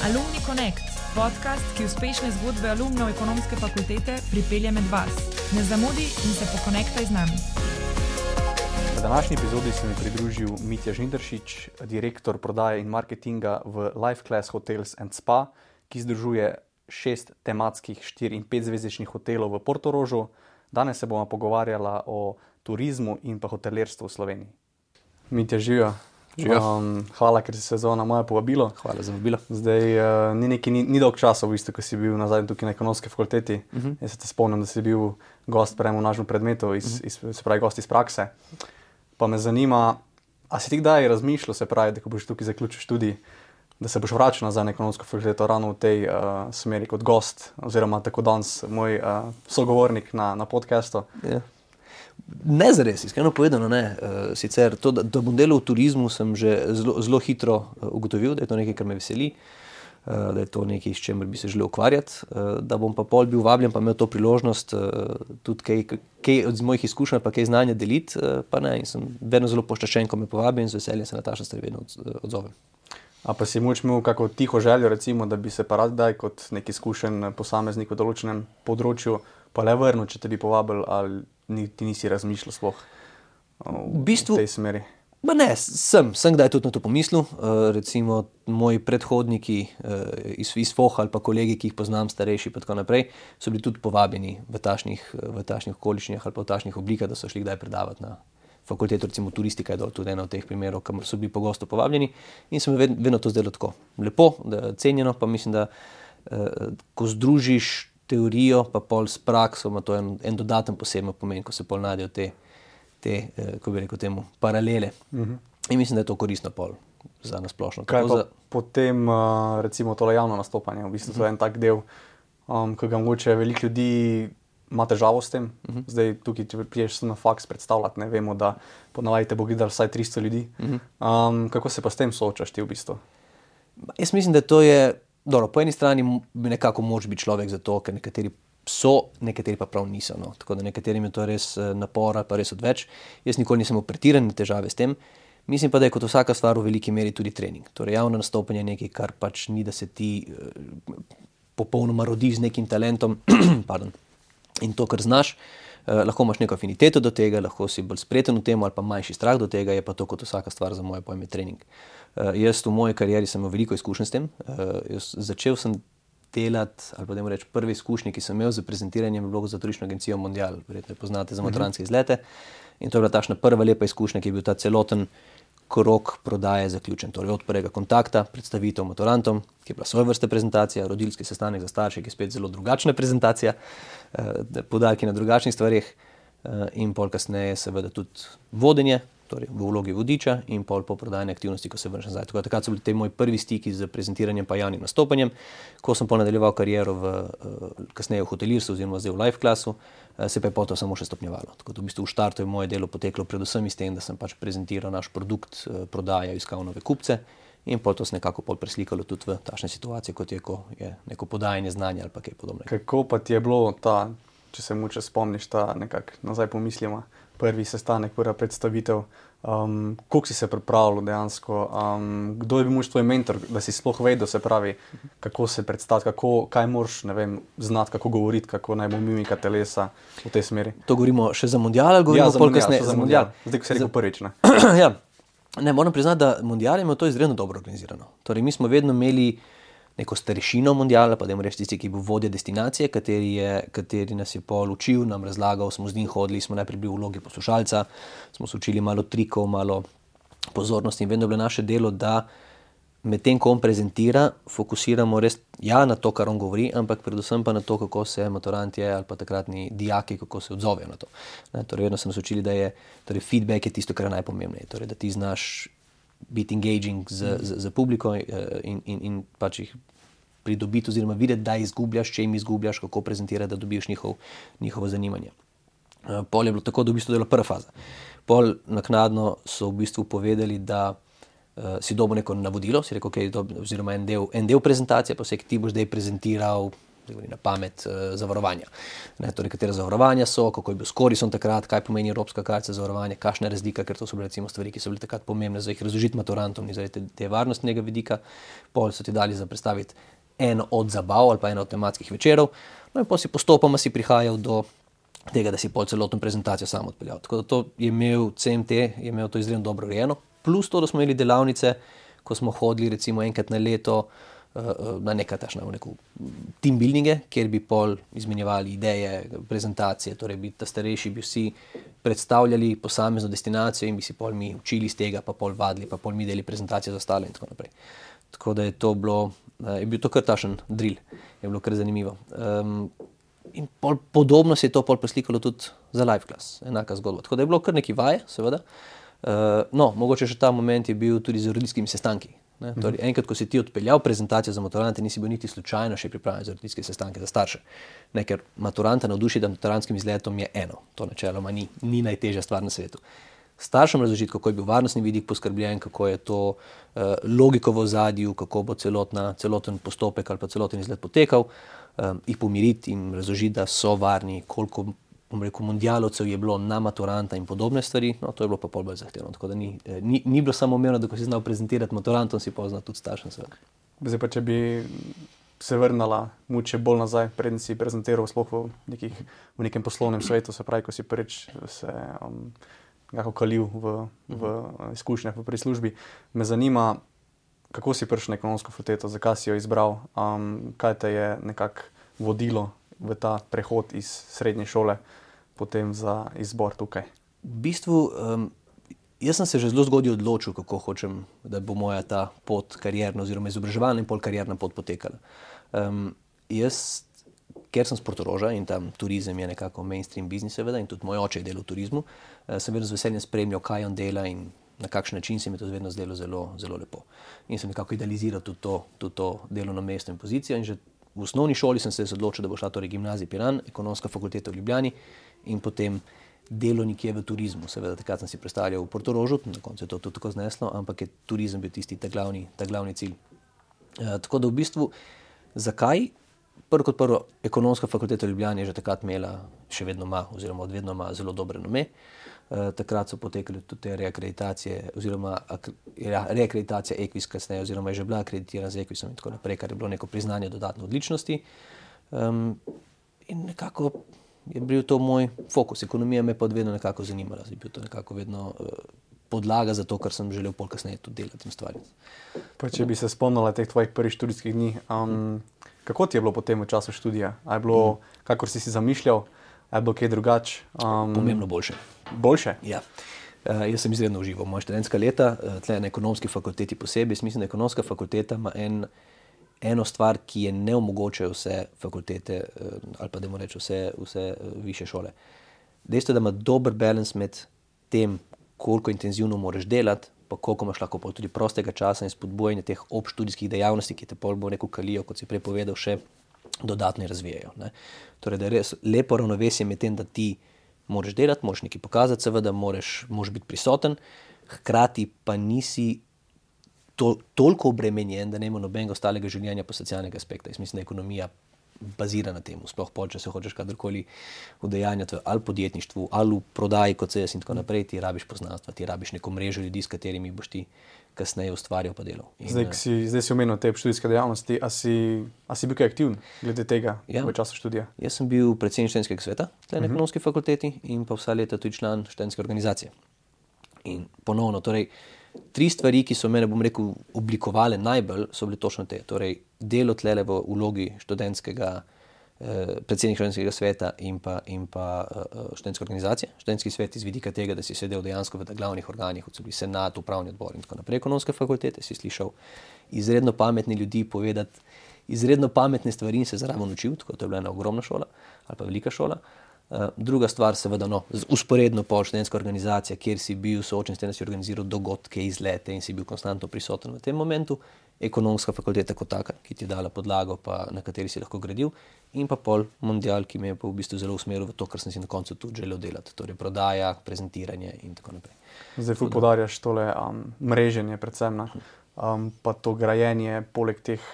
Alumni Connect, podcast, ki uspešne zgodbe alumnov ekonomske fakultete pripelje med vas. Ne zamudi in se pokonektaj z nami. V današnji epizodi se mi pridružil Mitja Žinderšič, direktor prodaje in marketinga v Life Class Hotels and Spa, ki združuje 6 tematskih 4- in 5-zvezdičnih hotelov v Portorožu. Danes se bomo pogovarjala o turizmu in pa hotelirstvu v Sloveniji. Mitja, živijo. Hvala, ker si se odzval na moje povabilo. Hvala za vabilo. Zdaj, ni dolg časa v bistvu, ko si bil nazaj tukaj na ekonomski fakulteti. Jaz se te spomnim, da si bil gost v našem predmetu, se pravi gost iz prakse. Pa me zanima, a si ti kdaj razmišljal, se pravi, da ko boš tukaj zaključil študij, da se boš vračal nazaj na ekonomsko fakulteto ravno v tej smeri kot gost, oziroma tako danes moj sogovornik na podcastu? Ja. Ne zares, iskreno povedano ne. Sicer to, da bom delal v turizmu, sem že zelo hitro ugotovil, da je to nekaj, kar me veseli, da je to nekaj, s čemer bi se želel ukvarjati, da bom pa pol bil vabljen, pa imel to priložnost tudi kaj od mojih izkušenj, pa kaj znanja deliti, pa ne, in sem vedno zelo počaščen, ko me povabi in z veseljem se Nataša stvari vedno odzovem. A pa si moč imel kako tiho željo, recimo, da bi se pa rad daj kot nek izkušen posameznik v določenem področju pa le vrnil, če te bi povabil, ali ti nisi razmišljal sploh v tej smeri? Ne, sem kdaj tudi na to pomislil. Recimo moji predhodniki iz FOH ali pa kolegi, ki jih poznam, starejši pa tako naprej, so bili tudi povabljeni v takšnih okoliščinah ali pa v takšnih oblikah, da so šli kdaj predavati na fakulteto, recimo turistika je tudi ena od teh primerov, kamor so bili pogosto povabljeni, in se mi vedno to zdelo tako lepo, cenjeno, pa mislim, da ko združiš teorijo pa pol s prakso, ima to en dodaten poseben pomen, ko se pol najdejo te ko bi rekel temu, paralele. In mislim, da je to koristno pol za nasplošno. Kaj pa potem recimo tole javno nastopanje, v bistvu to je en tak del, ki ga mogoče veliko ljudi ima težavo s tem. Zdaj tukaj, če priješ na faks predstavljati, ne vemo, da ponavadi te bo gledalo vsaj 300 ljudi. Kako se pa s tem soočaš ti v bistvu? Jaz mislim, da to je dobro, po eni strani nekako moraš biti človek za to, ker nekateri so, nekateri pa prav niso. No. Tako da nekaterim je to res napora, pa res odveč. Jaz nikoli nisem imel pretirane težave s tem. Mislim pa, da je kot vsaka stvar v veliki meri tudi trening. Torej javno nastopanje je nekaj, kar pač ni, da se ti popolnoma rodiš z nekim talentom in to, kar znaš. Lahko imaš neko afiniteto do tega, lahko si bolj spreten v tem ali pa manjši strah do tega, je pa to kot vsaka stvar za moje pojme trening. Jaz v moji karieri sem imel veliko izkušenj s tem. Začel sem delati, ali pa dajmo reči, prve izkušnje, ki sem imel za prezentiranjem, je bilo za turistično agencijo Mondial, verjetno jo poznate za maturantske izlete. In to je bila takšna prva lepa izkušnja, ki je bil ta celoten krog prodaje zaključen. Torej od prvega kontakta, predstavitev maturantom, ki je bila svoje vrste prezentacija, rodilski sestanek za starše, ki je spet zelo drugačna prezentacija, poudarki na drugačnih stvareh, in pol kasneje seveda tudi vodenje, torej v vlogi vodiča, in pol po prodajne aktivnosti, ko se vrneš nazaj. Tako da takrat so bili te moji prvi stiki z prezentiranjem pa javnim nastopanjem. Ko sem pol nadaljeval kariero kasneje v hotelirstvu oziroma zdaj v Life Classu, se pa je potom samo še stopnjevalo. Tako da v bistvu v štartu je moje delo poteklo predvsem iz tem, da sem pač prezentiral naš produkt, prodajal, iskal nove kupce, in pol to se nekako pol preslikalo tudi v takšne situacije, kot je, ko je neko podajanje znanja ali pa kaj podobnega. Kako pa ti je bilo ta, če se moče spomniš, ta nekako nazaj pomislimo, prvi sestanek, prva predstavitev, koliko si se pripravljal dejansko, kdo je bil tvoj mentor, da si sploh vedel, se pravi, kako se predstaviti, kaj moraš, ne vem, znati, kako govoriti, kako naj bo mimika telesa v tej smeri? To govorimo še za Mondial ali govorimo pol kasneje? Za Mondial. Zdaj, ko si rekel prvič, ne? Ja. Ne, moram priznati, da Mondial je imel to izredno dobro organizirano. Torej, mi smo vedno imeli neko starešino Mondiala, pa dajmo reči tisti, ki je bil vodja destinacije, kateri nas je pol učil, nam razlagal, smo z njim hodili, smo najprej bili v vlogi poslušalca, smo se učili malo trikov, malo pozornosti, in vedno je bilo naše delo, da medtem, ko on prezentira, fokusiramo res na to, kar on govori, ampak predvsem pa na to, kako se maturantje ali pa takratni dijaki, kako se odzovejo na to. Torej, vedno smo se učili, da je feedback je tisto, kar je najpomembneje, torej, da ti znaš biti engaging z publiko in pač jih pridobiti oziroma videti, da izgubljaš, če jim izgubljaš, kako prezentirati, da dobiš njihovo zanimanje. Pol je bilo tako, da v bistvu dela prva faza. Pol naknadno so v bistvu povedali, da si dobil neko navodilo, si rekel, oziroma en del prezentacije, pa ti boš zdaj prezentiral na pamet, zavarovanja. Ne, torej, katera zavarovanja so, kako je bil s korisom takrat, kaj pomeni evropska kartica zavarovanja, kakšna je razlika, ker to so bile recimo stvari, ki so bile takrat pomembne za jih razložiti maturantom in zaradi te varnostnega vidika. Pol so ti dali za predstaviti eno od zabav ali pa eno od tematskih večerov, no in potem si postopoma prihajal do tega, da si pol celotno prezentacijo sam odpeljal. Tako da to je imel CMT, je imel to izredno dobro urejeno, plus to, da smo imeli delavnice, ko smo hodili recimo enkrat na leto na neko team buildinge, kjer bi pol izmenjevali ideje, prezentacije, torej bi ta starejši bi vsi predstavljali posamezno destinacijo in bi si pol mi učili iz tega, pa pol vadili, pa pol mi deli prezentacije za ostale in tako naprej. Tako da je to bilo, je bil to kar takšen drill, je bilo kar zanimivo. In podobno se je to pol preslikalo tudi za live class, enaka zgodba. Tako da je bilo kar neki vaje, seveda. No, mogoče še ta moment je bil tudi z roditeljskimi sestanki. Torej, enkrat, ko si ti odpeljal prezentacijo za maturante, nisi bil niti slučajno še pripravljen za roditeljske sestanke za starše. Ne, ker maturanta navdušiti nad maturantskim izletom je eno. To načeloma ni najtežja stvar na svetu. Staršem razložiti, kako je bil varnostni vidik poskrbljen, kako je to logiko v ozadju, kako bo celoten postopek ali pa celoten izlet potekal, jih pomiriti in razložiti, da so varni, koliko mundialovcev je bilo na maturanta in podobne stvari, no to je bilo pa pol bolj zahtevno, tako da ni bilo samo umevno, da ko si znal prezentirati maturantom, si poznal tudi staršem seveda. Zdaj pa, če bi se vrnala mogoče bolj nazaj, preden si prezentiral sploh v nekem poslovnem svetu, se pravi, ko si prvič se nekako kalil v izkušnjah v prislužbi, me zanima, kako si prišel na ekonomsko fakulteto, zakaj si jo izbral, kaj te je nekako vodilo v ta prehod iz srednje šole potem za izbor tukaj? V bistvu, jaz sem se že zelo zgodaj odločil, kako hočem, da bo moja ta pot karierna oziroma izobraževalna in pol karierna pot potekala. Jaz, ker sem s Portoroža in tam turizem je nekako mainstream biznis seveda in tudi moj oče je delal v turizmu, sem vedno z veseljem spremljal, kaj on dela in na kakšen način se mi to vedno zdelo zelo, zelo lepo. In sem nekako idealiziral tudi to delovno mesto in pozicijo in že v osnovni šoli sem se odločil, da bo šla torej gimnazija Piran, ekonomska fakulteta v Ljubljani in potem delo nekje v turizmu. Seveda takrat sem si predstavljal v Portorožu, na koncu je to tudi tako zneslo, ampak je turizem bil tisti ta glavni cilj. Tako da v bistvu, zakaj? Prvo kot prvo, ekonomska fakulteta v Ljubljani je že takrat imela, še vedno ima, oziroma odvedno ima zelo dobre nome. Takrat so potekali tudi te reakreditacije, oziroma reakreditacija Equis kasneje, oziroma je že bila akreditirana z Equisom in tako naprej, kar je bilo neko priznanje dodatne odličnosti. In nekako je bil to moj fokus. Ekonomija me pa vedno nekako zanimala. Je bil to nekako vedno podlaga za to, kar sem želel pol kasneje tudi delati in stvariti. Pa če bi se spomnila teh tvojih prvih študijskih dni, kako ti je bilo potem v času študija? A je bilo, kakor si zamišljal, a je bilo kaj drugače? Pomembno boljše. Boljše? Ja. Jaz sem izredno užival moja študentska leta, tle na ekonomski fakulteti posebej. Mislim, da ekonomska fakulteta ima eno stvar, ki je ne omogočajo vse fakultete, ali pa dajmo reči vse višje šole. Dejstvo je, da ima dober balans med tem, koliko intenzivno moraš delati, pa koliko imaš lahko tudi prostega časa in spodbujanje teh obštudijskih dejavnosti, ki te pol bo neko kalijo, kot si prej povedal, še dodatno razvijajo. Ne. Torej, da je res lepo ravnovesje med tem, da ti moraš delati, moraš nekaj pokazati, seveda moraš biti prisoten, hkrati pa nisi toliko obremenjen, da ne ima nobenega ostalega življenja po socialnega aspekta. Jaz mislim, da ekonomija bazira na tem, sploh pol, če se hočeš kadarkoli udejanjati ali podjetništvu, ali v prodaji kot se jaz in tako naprej, ti rabiš poznanstva, ti rabiš neko mrežo ljudi, s katerimi boš ti kasneje ustvarjal pa delal. Zdaj si omenil te študijske dejavnosti, a si bil kaj aktiven glede tega v času študija? Jaz sem bil predsednik študentskega sveta na ekonomski fakulteti in pa vsa leta tudi član študentske organizacije. In ponovno, torej, 3 stvari, ki so mene, bom rekel, oblikovale najbolj, so bile točno te. Torej, delo tlele v vlogi predsednika študentskega sveta in pa študentske organizacije. Študentski svet iz vidika tega, da si sedel dejansko v glavnih organih, kot so bili senat, upravni odbor in tako naprej ekonomske fakultete, si slišal izredno pametni ljudi povedati izredno pametne stvari in se zraven učil, tako to je bila ena ogromna šola ali pa velika šola. Druga stvar, seveda, usporedno pol študentska organizacija, kjer si bil soočen s tem, da si organiziral dogodke, izlete in si bil konstantno prisoten v tem momentu. Ekonomska fakulteta kot taka, ki ti je dala podlago, pa na kateri si lahko gradil. In pa pol mundial, ki me je pa v bistvu zelo usmeril v to, kar sem si na koncu tudi želel delati. Torej prodaja, prezentiranje in tako naprej. Zdaj poudarjaš tole mreženje predvsem, pa to grajenje poleg teh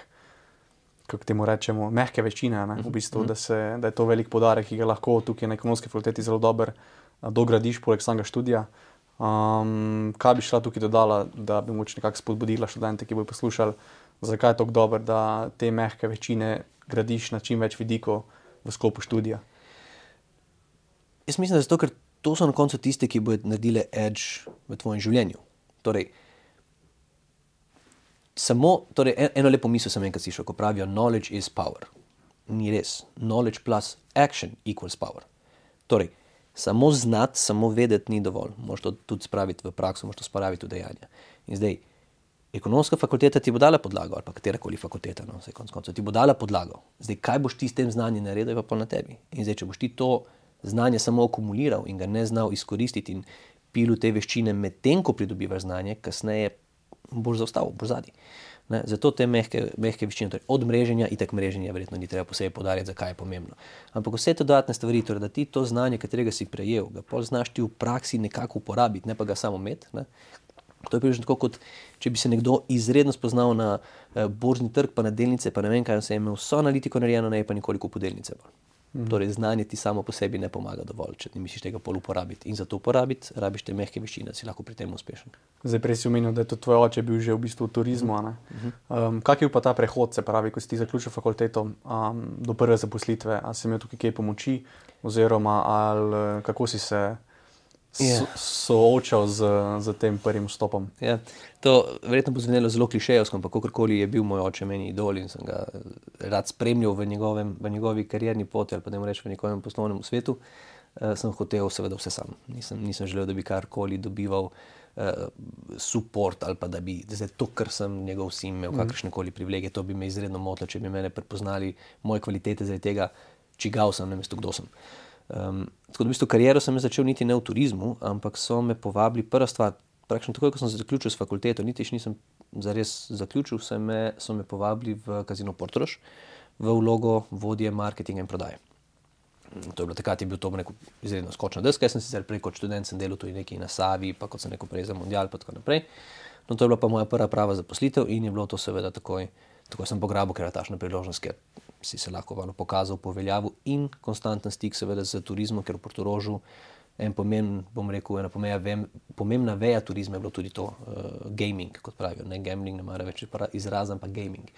kako temu rečemo, mehke večine, ne? V bistvu, da je to velik poudarek, ki ga lahko tukaj na ekonomski fakulteti zelo dobro dogradiš poleg samega študija. Kaj bi šla tukaj dodala, da bi moč nekako spodbudila študente, ki bodo poslušali, zakaj je tako dobro, da te mehke večine gradiš na čim več vidikov v sklopu študija? Jaz mislim, da zato, ker to so na koncu tiste, ki bodo naredile edge v tvojem življenju. Torej, eno lepo misel sem enkrat slišal, ko pravijo knowledge is power. Ni res. Knowledge plus action equals power. Torej, samo znati, samo vedeti ni dovolj. Možeš to tudi spraviti v prakso, možeš to spraviti v dejanja. In zdaj, ekonomska fakulteta ti bo dala podlago, ali pa katerakoli fakulteta, no, vse konec koncev, ti bo dala podlago. Zdaj, kaj boš ti s tem znanjem naredil, je pa pol na tebi. In zdaj, če boš ti to znanje samo akumuliral in ga ne znal izkoristiti in pil te veščine medtem, ko pridobivaš znanje, kasneje boš zaostal, boš zadnji. Zato te mehke veščine, torej od mreženja, itak mreženja verjetno ni treba posebej poudarjati, zakaj je pomembno. Ampak vse te dodatne stvari, torej da ti to znanje, katerega si prejel, ga pol znaš ti v praksi nekako uporabiti, ne pa ga samo imeti. Ne? To je približno tako, kot če bi se nekdo izredno spoznal na borzni trg, pa na delnice, pa ne vem kaj, se je imel vso analitiko narejeno, ne pa nikoli kupil delnice. Torej, znanje ti samo po sebi ne pomaga dovolj, če ti misliš tega pol uporabiti. In za to uporabiti, rabiš te mehke veščine, da si lahko pri tem uspešen. Zdaj, prej si omenil, da je to tvoj oče bil že v bistvu v turizmu. Kak je bil pa ta prehod, se pravi, ko si ti zaključil fakulteto do prve zaposlitve? Ali si imel tukaj kaj pomoči? Oziroma, kako si se soočal z tem prvim vstopom? Ja, to verjetno bo zvenelo zelo klišejevsko, ampak kakorkoli je bil moj oče meni idol in sem ga rad spremljal v njegovi karierni poti ali pa da mu rečem v njegovem poslovnem svetu, sem hotel seveda vse sam. Nisem želel, da bi karkoli dobival support ali pa da bi zdaj to, kar sem njegov sin imel kakršnekoli privilegije, to bi me izredno motilo, če bi mene prepoznali moje kvalitete zaradi tega, čigav sem, namesto kdo sem. Tako da v bistvu kariero sem začel niti ne v turizmu, ampak so me povabili, prva stvar, praktično takoj, ko sem zaključil s fakulteto, niti še nisem zares zaključil, so me povabili v Casino Portorož v vlogo vodje marketinga in prodaje. To je bilo takrat, je bil to neko izredno skočna deska, jaz sem sicer prej kot študent sem delal tudi nekaj na Savi, pa kot sem rekel prej za Mundial, pa tako naprej. No, to je bila pa moja prva prava zaposlitev in je bilo to seveda takoj sem pograbil, ker je takšna priložnost, ker si se lahko pokazal po veljavu in konstanten stik seveda z turizmom, ker v Portorožu ena pomembna veja turizma je bilo tudi to gaming, kot pravijo, ne gambling, ne mara več izrazam, pa gaming.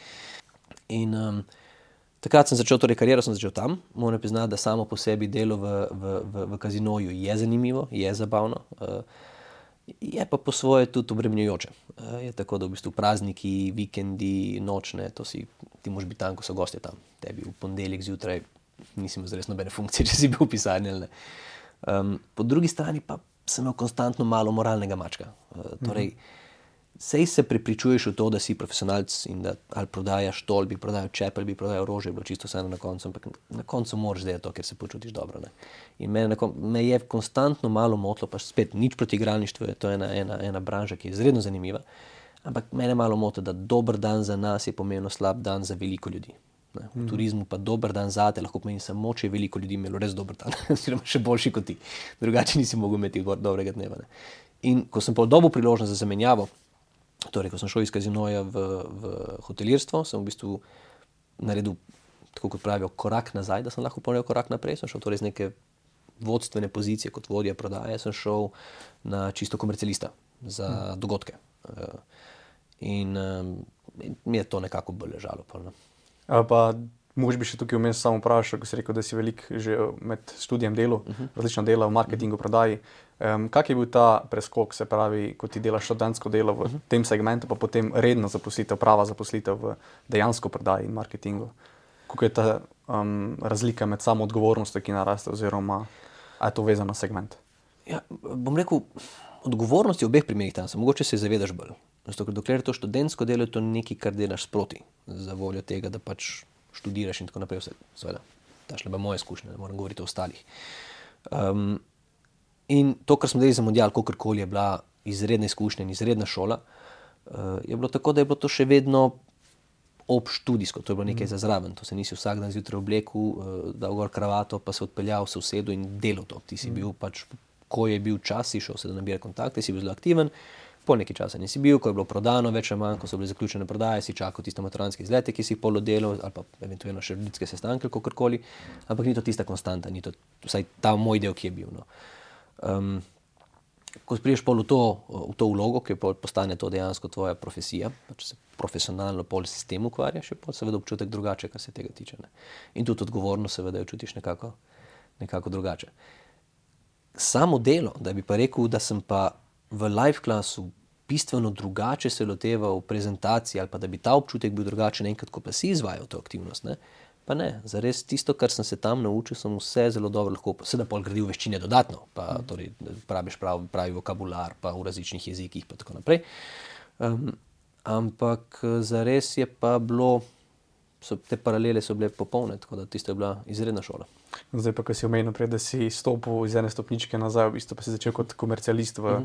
In takrat sem začel, torej kariero sem začel tam, moram priznati, da samo po sebi delo v kazinoju je zanimivo, je zabavno, je pa po svoje tudi obremenjujoče. Je tako, da v bistvu prazniki, vikendi, nočne, ti moraš biti tam, ko so gostje tam. Tebi v ponedeljek zjutraj nisi imel zares nobene funkcije, če si bil v pisarni ali ne. Po drugi strani pa sem imel konstantno malo moralnega mačka. Torej, sej se prepričuješ v to, da si profesionalc in da ali prodajaš to, ali bi prodajal čep, ali bi prodajal rože, je bilo čisto vseeno na koncu, ampak na koncu moraš delati to, ker se počutiš dobro. Ne? In me je konstantno malo motilo, pa spet nič proti igralništvu, to je ena branža, ki je izredno zanimiva, ampak mene malo moti, da dober dan za nas je pomembno slab dan za veliko ljudi. Ne? V turizmu pa dober dan zate lahko pomeni samo, če je veliko ljudi imelo res dober dan, oziroma še boljši kot ti. Drugače nisi mogel imeti dobrega dneva. Ne? In ko sem pa dobil priložnost za zamenjavo, torej, ko sem šel iz kazinoja v hotelirstvo, sem v bistvu naredil, tako kot pravijo, korak nazaj, da sem lahko ponovil korak naprej. Sem šel torej z neke vodstvene pozicije kot vodja prodaje, sem šel na čisto komercialista za dogodke. In mi je to nekako bolj ležalo. Pa mogoče bi še tukaj vmes samo vprašal, ko si rekel, da si veliko že med študijem delal, različna dela v marketingu, prodaji. Kak je bil ta preskok, se pravi, ko ti delaš študentsko delo v tem segmentu, pa potem redna zaposlitev, prava zaposlitev v dejansko prodaji in marketingu? Kako je ta razlika med samo odgovornostjo, ki naraste, oziroma a je to vezano na segment? Ja, bom rekel, odgovornost je v obeh primerih tam, mogoče se zavedaš bolj. Zato, ker dokler je to študentsko delo, je to nekaj, kar delaš sproti, za voljo tega, da pač študiraš in tako naprej. Seveda, tašle pa moje izkušnje, ne moram govoriti o ostalih. In to, kar smo delali za Mundial, kakorkoli je bila izredna izkušnja in izredna šola, je bilo tako, da je bilo to še vedno obštudijsko, to je bilo nekaj za zraven. To se nisi vsak dan zjutraj oblekel, dal gor kravato, pa se odpeljal, se usedel in delal to. Ti si bil pač, ko je bil čas, si šel se da nabira kontakte, si bil zelo aktiven, Po nekaj časa nisi bil, ko je bilo prodano več ali manj, ko so bile zaključene prodaje, si čakal tiste maturantske izlete, ki si jih pol oddelal, ali pa eventualno še ljudske sestanke, kakorkoli, ampak ni to tista konstanta, ni to vsaj ta moj del, ki je bil. No. Ko priješ pol v to vlogo, ki postane to dejansko tvoja profesija, pač se profesionalno pol sistem ukvarjaš, je pol seveda občutek drugače, kar se tega tiče. Ne. In tudi odgovornost seveda jo čutiš nekako drugače. Samo delo, da bi pa rekel, da sem pa v live klasu bistveno drugače se loteval prezentaciji ali pa da bi ta občutek bil drugačen enkrat, ko pa si izvajal to aktivnost, ne? Pa ne, zares tisto, kar sem se tam naučil, sem vse zelo dobro lahko, seveda pol gradil veščine dodatno, pa torej praviš pravi vokabular, pa v različnih jezikih, pa tako naprej. Ampak zares je pa bilo, te paralele so bile popolne, tako da tisto je bila izredna šola. Zdaj pa, ko si omenil prej, da si stopil iz ene stopničke nazaj, v bistvu pa si začel kot komercialist v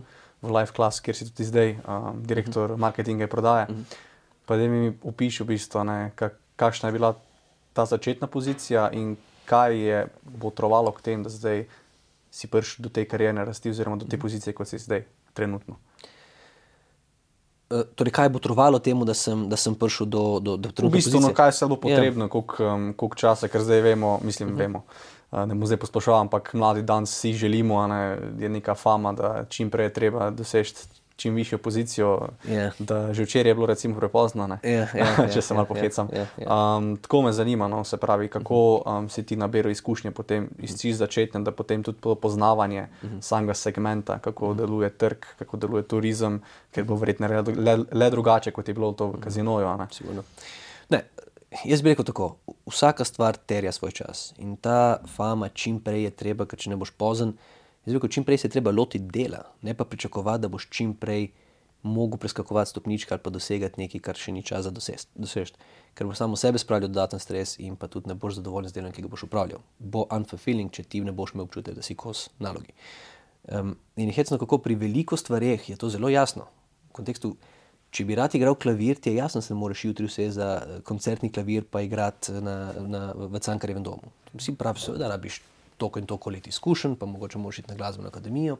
live class, kjer si tudi zdaj direktor marketinga in prodaje. Pa da mi opiši v bistvu, kakšna je bila ta začetna pozicija in kaj je botrovalo k tem, da zdaj si prišel do te karierne rasti oziroma do te pozicije, kot si zdaj trenutno. Torej, kaj je botrovalo temu, da sem prišel do trenutne pozicije? V bistvu, kaj je bilo potrebno, koliko časa, ker zdaj vemo, ne bomo zdaj posplošal, ampak mladi danes si želimo, je neka fama, da čim prej je treba doseči čim višjo pozicijo, da že včeraj je bilo recimo prepozno, če se malo pohecam. Tako me zanima, se pravi, kako si ti naberal izkušnje potem iz začetne, da potem tudi poznavanje samega segmenta, kako deluje trg, kako deluje turizem, ker bo verjetno le drugače, kot je bilo to v kazinoju. Sigurno. Ne, jaz bi rekel tako, vsaka stvar terja svoj čas in ta fama čim prej je treba, ker če ne boš pozen, jaz bi rekel, čim prej se je treba lotiti dela, ne pa pričakovati, da boš čim prej mogel preskakovati stopničke ali pa dosegati nekaj, kar še ni čas za doseči. Ker boš samo sebe spravljal dodaten stres in pa tudi ne boš zadovoljen z delom, ki ga boš upravljal. Bo unfulfilling, če ti ne boš imel občutek, da si kos nalogi. In hecno, kako pri veliko stvareh je to zelo jasno. V kontekstu, če bi rad igral klavir, ti je jasno, da se ne moreš jutri vse za koncertni klavir pa igrati v Cankarjevem domu. Vsi pravi, seveda rabiš toliko in toliko let izkušenj, pa mogoče moraš iti na glasbeno akademijo,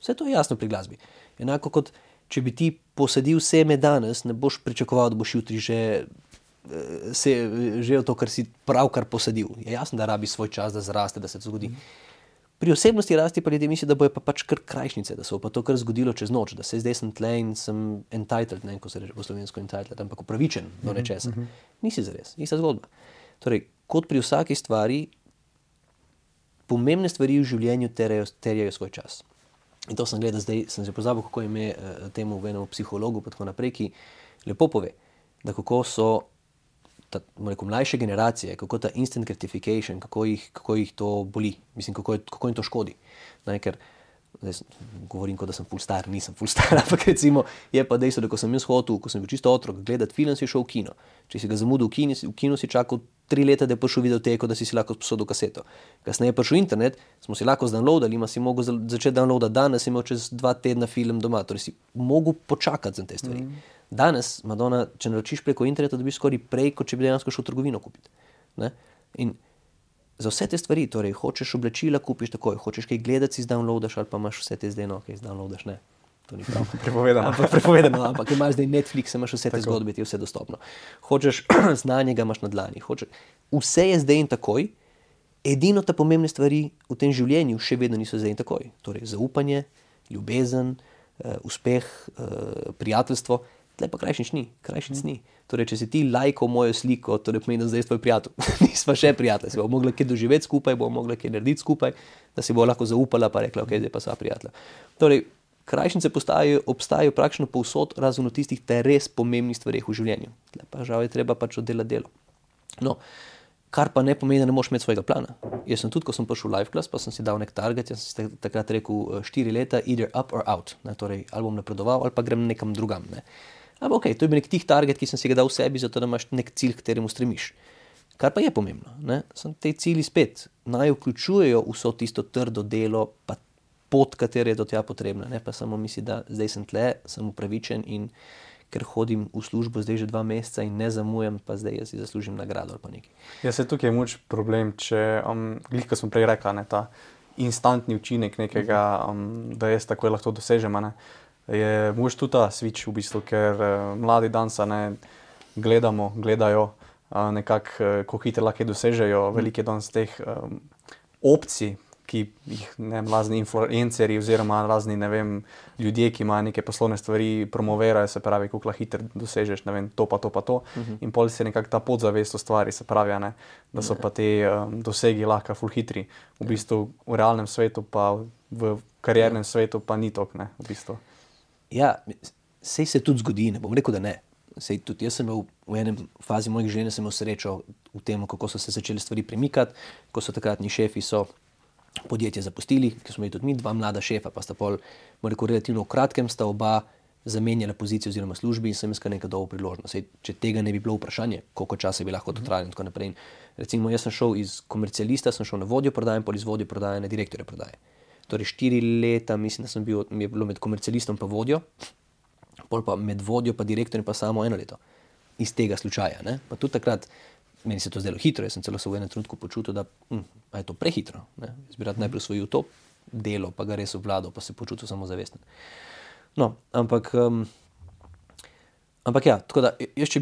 vse to je jasno pri glasbi. Enako kot, če bi ti posadil seme danes, ne boš pričakoval, da boš jutri že to, kar si pravkar posadil. Je jasno, da rabi svoj čas, da zraste, da se to zgodi. Pri osebnosti rasti pa ljudje mislijo, da bojo pa pač kar krajšnice, da se bo pa to kar zgodilo čez noč, da se zdaj sem tle in sem entitled, ne, ko se reče po slovensko entitled, ampak upravičen do nečesa. Nisi zares, ista zgodba. Torej, kot pri vsaki stvari, pomembne stvari v življenju terjajo svoj čas. In to sem gledal zdaj, sem se pozabil, kako ime temu v enem psihologu, pa tako naprej, ki lepo pove, da kako so mlajše generacije, kako ta instant gratification, kako jih to boli, mislim, kako jim to škodi. Ker zdaj govorim, kot da sem ful star, nisem ful star, ampak recimo je pa dejstvo, da ko sem jaz hotel, ko sem bil čisto otrok, gledati film, si šel v kino. Če si ga zamudil v kino, si čakal 3 leta, da je prišel videoteko, da si lahko sposodil kaseto. Kasneje je prišel internet, smo si lahko zdownloadali, ima si mogel začeti downloadati danes, si imel čez 2 tedna film doma, torej si mogel počakati za te stvari. Danes, Madonna, če naročiš preko interneta, dobiš skoraj prej, kot če bi dejansko šel v trgovino kupiti. Ne? In za vse te stvari, torej hočeš oblačila, kupiš takoj, hočeš kaj gledati, si zdownloadaš ali pa imaš vse te zdaj, no, kaj zdownloadaš, ne. To ni prav. Prepovedano, ampak imaš zdaj Netflix, imaš vse te zgodbe, ti je vse dostopno. Hočeš znanje, ga imaš na dlani. Vse je zdaj in takoj, edino te pomembne stvari v tem življenju še vedno niso zdaj in takoj. Torej zaupanje, ljubezen, uspeh, prijateljstvo, tle pa krajšnic ni. Torej, če si ti lajkal mojo sliko, torej pomeni, da zdaj tvoj prijatelj. Nisva še prijatelj, si bomo mogli kaj doživeti skupaj, bomo mogli kaj narediti skupaj, da si bo lahko zaupala pa rekla, ok, zdaj pa sva prijatelja. Torej, krajšnice obstajajo praktično povsod, razen v tistih res pomembnih stvareh v življenju. Tle pa žal je treba pač oddelati delo. No, kar pa ne pomeni, da ne moš imeti svojega plana. Jaz sem tudi, ko sem prišel v live class, pa sem si dal nek target, jaz sem si takrat rekel 4 leta, either up or out. Ne, torej, ali bom napredoval, ali pa grem nekam drugam. Ne. Ampak ok, to je bil nek tih target, ki sem si ga dal v sebi, zato da imaš nek cilj, k kateremu stremiš. Kar pa je pomembno, ne, sem te cilji spet, naj vključujejo vso tisto trdo delo, pa pot, katera je do tega potrebna, ne, pa samo misli, da zdaj sem tle, sem upravičen in ker hodim v službo zdaj že 2 meseca in ne zamujam, pa zdaj jaz si zaslužim nagrado ali pa nekaj. Ja, se tukaj je moč problem, če, ko smo prej rekla, ne, ta instantni učinek nekega, da jaz takoj lahko dosežem, ne. je mož tudi ta switch v bistvu, ker mladi dansa ne gledajo nekako, kako hitro lahko dosežejo, veliko je danes teh opcij, ki jih razni influencerji oziroma razni, ne vem, ljudje, ki imajo neke poslovne stvari, promovirajo, se pravi, kako lahko hitro dosežeš, ne vem, to pa to. In pol se nekako ta podzavest ustvari, se pravi, ne, da so pa te dosegi lahko ful hitri. V bistvu v realnem svetu pa v kariernem svetu pa ni tok, ne, v bistvu. Ja, sej se tudi zgodi, ne bom rekel, da ne. Sej tudi jaz sem imel v enem fazi mojih življenja sem imel srečo v tem, kako so se začeli stvari premikati, ko so takratni šefi podjetje zapustili, ker smo imeli tudi mi, 2 mlada šefa, pa sta pol, bom rekel, relativno v kratkem sta oba zamenjala pozicijo oziroma službi in sem iskal nekaj dolgo priložnost. Sej, če tega ne bi bilo vprašanje, koliko časa bi lahko to trajalo in tako naprej. In recimo, jaz sem šel iz komercialista, sem šel na vodjo prodaje in pol iz vodjo prodaje na direktorja prodaje. Torej 4 leta, mislim, da mi je bilo med komercialistom pa vodjo, pol pa med vodjo pa direktorjem pa samo 1 leto. Iz tega slučaja, ne. Pa tudi takrat, meni se to zdelo hitro, jaz sem celo se v enem trenutku počutil, da je to prehitro, ne. Jaz bi rad najprej osvojil to delo, pa ga res obvladal, pa se počutil samozavesten. No, ampak ja, tako da, jaz če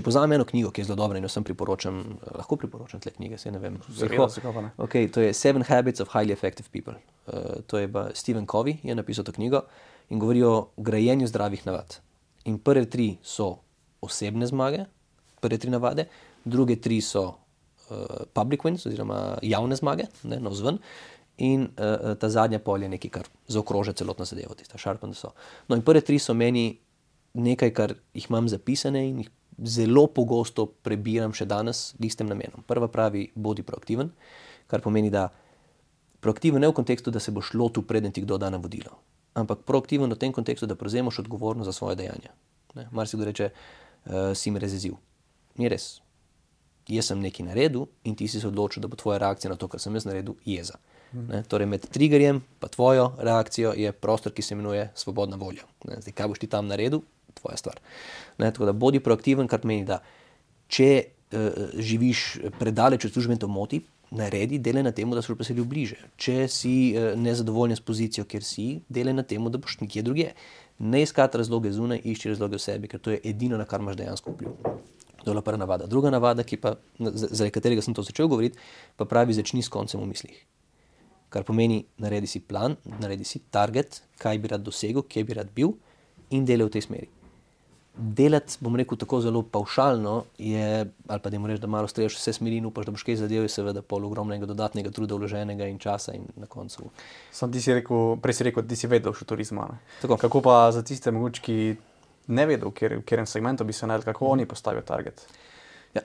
povzamem eno knjigo, ki je zelo dobra in jo sem priporočam, lahko priporočam tle knjige, saj ne vem. Okay, to je 7 Habits of Highly Effective People. To je pa Stephen Covey je napisal to knjigo in govori o grajenju zdravih navad. In prve 3 so osebne zmage, prve 3 navade, druge 3 so public wins oziroma javne zmage, ne, navzven, in ta zadnja pol je nekaj, kar zaokroža celotno zadevo, tista sharpen the saw. No in prve 3 so meni nekaj, kar jih imam zapisane in jih zelo pogosto prebiram še danes z istim namenom. Prva pravi, bodi proaktiven, kar pomeni, da proaktiven ne v kontekstu, da se boš lotil preden ti kdo da navodilo, ampak proaktiven v tem kontekstu, da prevzemaš odgovornost za svoje dejanja. Marsikdo reče, si me razjezil. Ni res. Jaz sem nekaj naredil in ti si se odločil, da bo tvoja reakcija na to, kar sem jaz naredil, jeza. Torej med triggerjem pa tvojo reakcijo je prostor, ki se imenuje svobodna volja. Zdaj, kaj boš ti tam naredil, tvoja stvar. Tako da bodi proaktiven, kar pomeni, da če živiš predaleč od službe in to moti, naredi, delaj na temu, da se boš preselil bliže. Če si nezadovoljen s pozicijo, kjer si, delaj na temu, da boš nekje drugje. Ne iskati razloge zunaj, išči razloge v sebi, ker to je edino, na kar imaš dejansko vpliv. To je prva navada. Druga navada, ki pa, zaradi katerega sem to začel govoriti, pa pravi, začni s koncem v mislih. Kar pomeni, naredi si plan, naredi si target, kaj bi rad dosegel, kje bi rad bil in delaj v tej smeri. Delati, bom rekel, tako zelo pavšalno je, ali pa da jim reči, da malo streljaš vse smeri in upaš, da boš kaj zadev, je seveda pol ogromnega dodatnega truda vloženega in časa in na koncu. Sam prej si rekel, da si vedel še turizma. Kako pa za tiste mogoče, ki ne vedel, v katerem segmentu bi se naredil, kako oni postavijo target? Ja,